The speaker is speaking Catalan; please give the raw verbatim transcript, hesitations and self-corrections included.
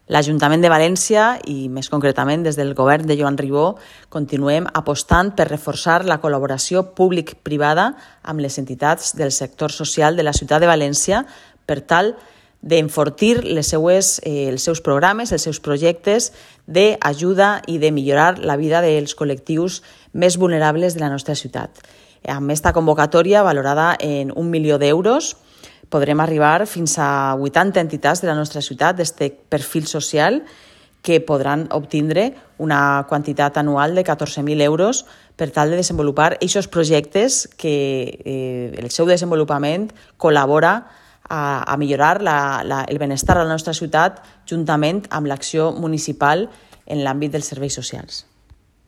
L'Ajuntament de València i, més concretament, des del govern de Joan Ribó, continuem apostant per reforçar la col·laboració públic-privada amb les entitats del sector social de la ciutat de València per tal d'enfortir les seues, eh, els seus programes, els seus projectes d'ajuda i de millorar la vida dels col·lectius més vulnerables de la nostra ciutat. Amb aquesta convocatòria, valorada en un milió d'euros, podrem arribar fins a vuitanta entitats de la nostra ciutat d'aquest perfil social que podran obtindre una quantitat anual de catorze mil euros per tal de desenvolupar aquests projectes que eh, el seu desenvolupament col·labora a, a millorar la, la, el benestar de la nostra ciutat juntament amb l'acció municipal en l'àmbit dels serveis socials.